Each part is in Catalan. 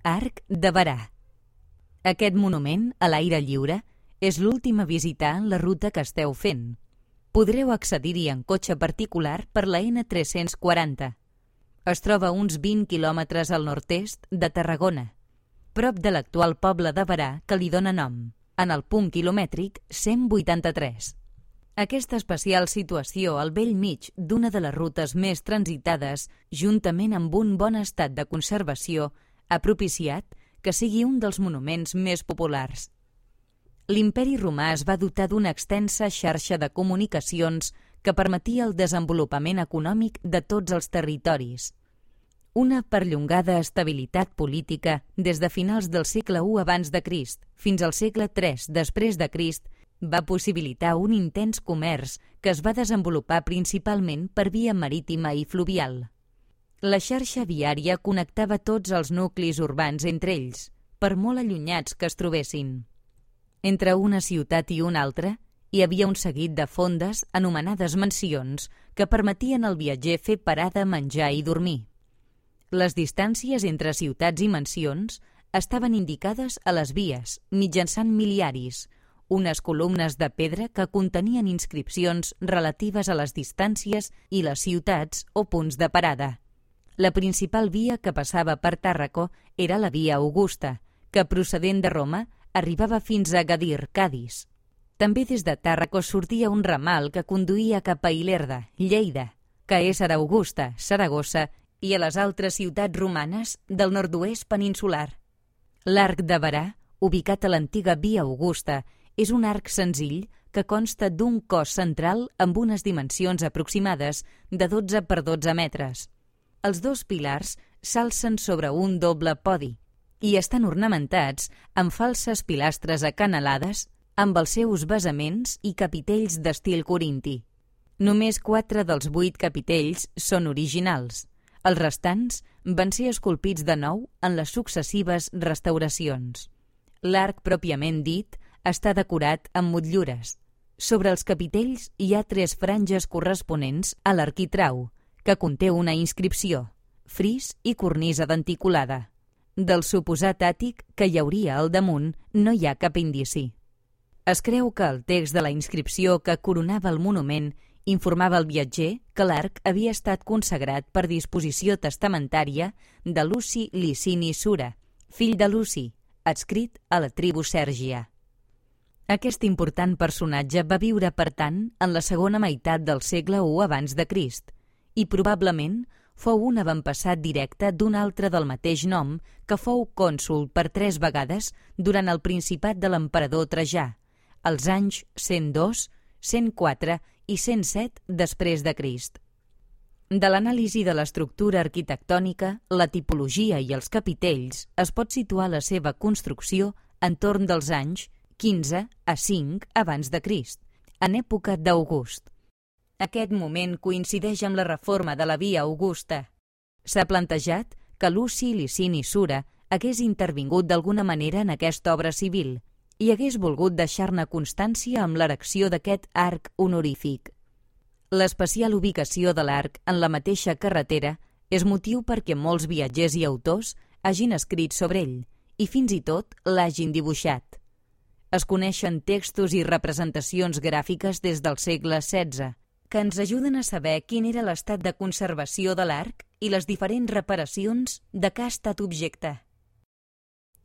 Arc de Berà. Aquest monument, a l'aire lliure, és l'últim a visitar en la ruta que esteu fent. Podreu accedir-hi en cotxe particular per la N340. Es troba a uns 20 quilòmetres al nord-est de Tarragona, prop de l'actual poble de Berà que li dóna nom, en el punt quilomètric 183. Aquesta especial situació al bell mig d'una de les rutes més transitades, juntament amb un bon estat de conservació, ha propiciat que sigui un dels monuments més populars. L'Imperi Romà es va dotar d'una extensa xarxa de comunicacions que permetia el desenvolupament econòmic de tots els territoris. Una perllongada estabilitat política des de finals del segle I abans de Crist fins al segle III després de Crist va possibilitar un intens comerç que es va desenvolupar principalment per via marítima i fluvial. La xarxa viària connectava tots els nuclis urbans entre ells, per molt allunyats que es trobessin. Entre una ciutat i una altra, hi havia un seguit de fondes anomenades mansions que permetien al viatger fer parada, menjar i dormir. Les distàncies entre ciutats i mansions estaven indicades a les vies mitjançant miliaris, unes columnes de pedra que contenien inscripcions relatives a les distàncies i les ciutats o punts de parada. La principal via que passava per Tàrraco era la via Augusta, que procedent de Roma arribava fins a Agadir, Cadis. També des de Tàrraco sortia un ramal que conduïa cap a Ilerda, Lleida, que és ara Augusta, Saragossa i a les altres ciutats romanes del nord-oest peninsular. L'Arc de Berà, ubicat a l'antiga via Augusta, és un arc senzill que consta d'un cos central amb unes dimensions aproximades de 12 per 12 metres. Els dos pilars s'alcen sobre un doble podi i estan ornamentats amb falses pilastres acanalades amb els seus basaments i capitells d'estil corinti. Només 4 dels 8 capitells són originals. Els restants van ser esculpits de nou en les successives restauracions. L'arc pròpiament dit està decorat amb motllures. Sobre els capitells hi ha 3 franges corresponents a l'arquitrau, que conté una inscripció, fris i cornisa denticulada. Del suposat àtic que hi hauria al damunt no hi ha cap indici. Es creu que el text de la inscripció que coronava el monument informava al viatger que l'arc havia estat consagrat per disposició testamentària de Luci Licini Sura, fill de Luci, adscrit a la tribu Sèrgia. Aquest important personatge va viure, per tant, en la segona meitat del segle I abans de Crist i probablement fou un avantpassat directe d'un altre del mateix nom que fou cònsol per 3 vegades durant el principat de l'emperador Trajà, als anys 102, 104 i 107 després de Crist. De l'anàlisi de l'estructura arquitectònica, la tipologia i els capitells es pot situar la seva construcció entorn dels anys 15 a 5 abans de Crist, en època d'August. Aquest moment coincideix amb la reforma de la via Augusta. S'ha plantejat que Luci Licini Sura hagués intervingut d'alguna manera en aquesta obra civil i hagués volgut deixar-ne constància amb l'erecció d'aquest arc honorífic. L'especial ubicació de l'arc en la mateixa carretera és motiu perquè molts viatgers i autors hagin escrit sobre ell i fins i tot l'hagin dibuixat. Es coneixen textos i representacions gràfiques des del segle XVI que ens ajuden a saber quin era l'estat de conservació de l'arc i les diferents reparacions de què ha estat objecte.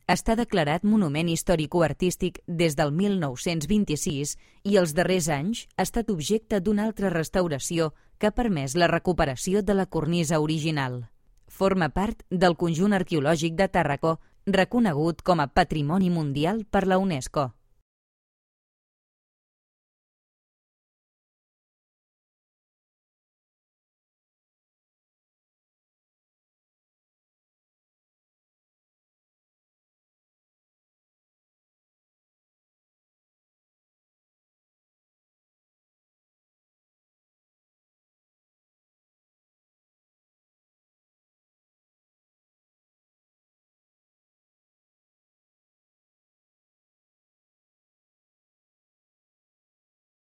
Està declarat monument històrico-artístic des del 1926 i els darrers anys ha estat objecte d'una altra restauració que ha permès la recuperació de la cornisa original. Forma part del conjunt arqueològic de Tàrraco reconegut com a Patrimoni Mundial per la UNESCO.